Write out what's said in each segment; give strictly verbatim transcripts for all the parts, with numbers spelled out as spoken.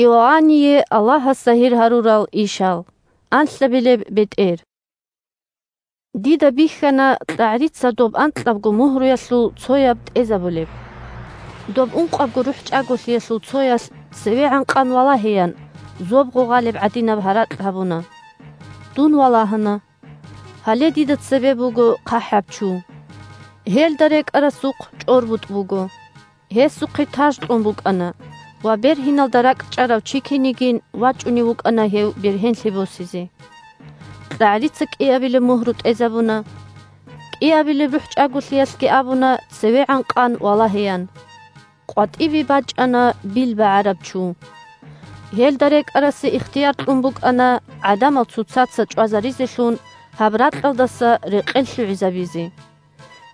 Иоанние Аллагьас загьир гьарурал ишал. Анлъабилеб бетӀер. Дида бихьана кьагӀрица доб анкьабго мугьруялъул цояб тӀезабулеб. Доб ункъабго рухӀчӀаголъиялъул цоялъ цевегӀан къан валагьеян, зоб гъугъалеб гӀадинаб гьаракь гьабуна. Дун валагьана. Гьале дида цебе буго хъахӀаб чу. Гьелда рекӀарасухъ чӀорбутӀ буго. Гьесухъе таж кьун букӀана ва бергьиналда ракӀчӀарав чи кинигин вачӀунев вукӀана гьев бергьенлъи босизе. КьагӀрица кӀиабилеб мугьру тӀезабуна. КӀиабилеб рухӀчӀаголъиялъги абуна цевегӀан къан валагьеян. КъватӀибе бачӀана бил багӀараб чу. Гьелда рекӀарасе ихтияр кьун букӀана гӀадамал цоцаца чӀвазаризелъун гьаб ракьалдаса рекъел лъугӀизабизе.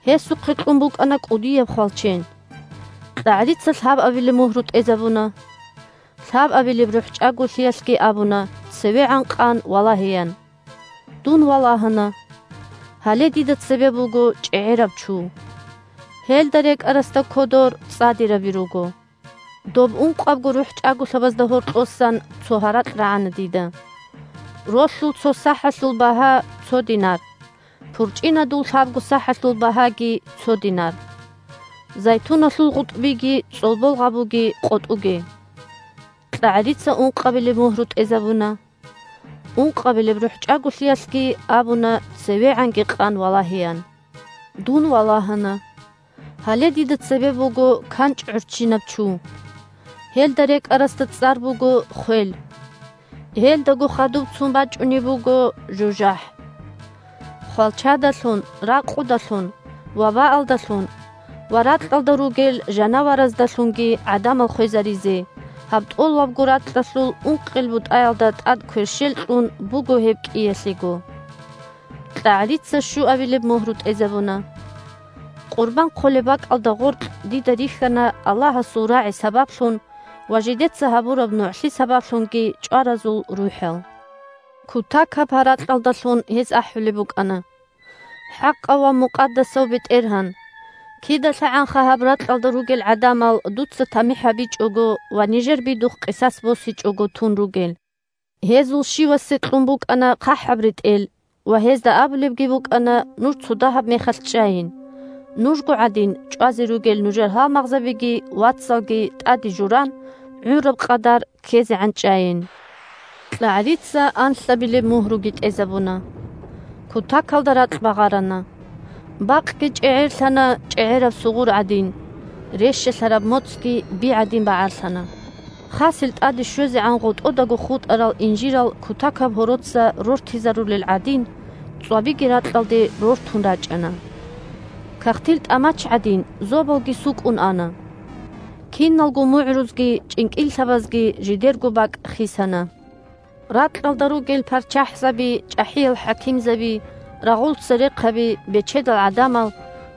Гьесухъе кьун букӀана кӀудияб хвалчен. КьагӀрица лъабабилеб мугьру тӀезабуна. Лъабабилеб рухӀчӀаголъиялъги абуна цевегӀан къан валагьеян. Дун валагьана. Гьале дида цебе буго чӀегӀераб чу. Гьелда рекӀарасда кодор цӀадираби руго. Доб ункъабго рухӀчӀаголъабазда гьоркьосан цо гьаракь рагӀана дида. Ролъул цо сахӀалъул багьа цо динар. ПурчӀинадул лъабго сахӀалъул багьаги цо динар. Зайтуналъул гъутӀбиги цӀолбол гъабуги къотӀуге. КьагӀрица ункъабилеб мугьру тӀезабуна. Ункъабилеб рухӀчӀаголъиялъги абуна цевегӀанги къан валагьеян. Дун валагьана. Гьале дида цебе буго канчӀ гӀурччинаб чу. Гьелда рекӀарасда цӀар буго хвел. Гьелдаго хадуб цун бачӀунеб буго жужахӀ. Хвалчадалъун, ракъудалъун, вабаалдалъун ва ракьалда ругел жанавараздалъунги гӀадамал хвезаризе, гьаб тӀолабго ракьалъул ункъел бутӀаялда тӀад кверщел кьун буго гьеб кӀиялъего. КьагӀрица щуабилеб мугьру тӀезабуна. Къурбан хъолеб бакӀалда гъоркь дида рихьана Аллагьасул рагӀи сабаблъун ва жидеца гьабураб нугӀлъи сабаблъунги чӀваразул рухӀал. Кутакаб гьаракьалдалъун гьез ахӀулеб букӀана: «ХӀакъав ва мукъадасав БетӀергьан! КидалъагӀанха гьаб ракьалда ругел гӀадамал дуца тамихӀ гьабичӀого ва нижер бидухъ къисас босичӀого тун ругел. Гьезул щивасе кьун букӀана хъахӀаб ретӀел, ва гьезда абулебги букӀана: нуж цо дагьаб мехалъ чӀайин. Нужго гӀадин, чӀвазе ругел нужер гьалмагъзабиги вацалги тӀаде журан, гӀураб къадар ккезегӀан чӀайин». КьагӀрица анлъабилеб мугьруги тӀезабуна. Кутакалда ракь багъарана. Бакъги чӀегӀерлъана чӀегӀераб сугъур гӀадин, рещалъараб моцӀги би гӀадин багӀарлъана. Хасил тӀаде щвезегӀан гъотӀодаго хутӀарал инжирал кутакаб гьороца рортизарулел гӀадин, цӀвабиги ракьалде рортун рачӀана. Кагътил тӀамач гӀадин, зобалги сукӀун ана. Киналго мугӀрузги чӀинкӀиллъабазги жидерго бакӀ хисана. Ракьалда ругел парччахӀзаби, чӀахӀиял хӀакимзаби, рагъул церехъаби, бечедал гӀадамал,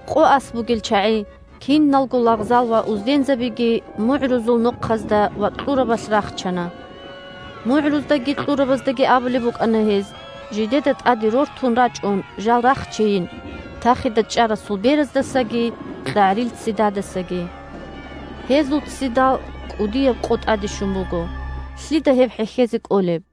къо ас бугел чагӀи, киналго лагъзал ва уздензабиги мугӀрузул нохъазда ва кьурабалъ рахчана. МугӀруздаги кьурабаздаги абулеб букӀана гьез, жидеда тӀаде рортун рачӀун жал рахчейин, тахида чӀарасул бераздасаги кьагӀрил ццидадасаги. Гьезул ццидал кӀудияб къо тӀаде щун буго. Лъида гьеб хӀехьезе кӀолеб?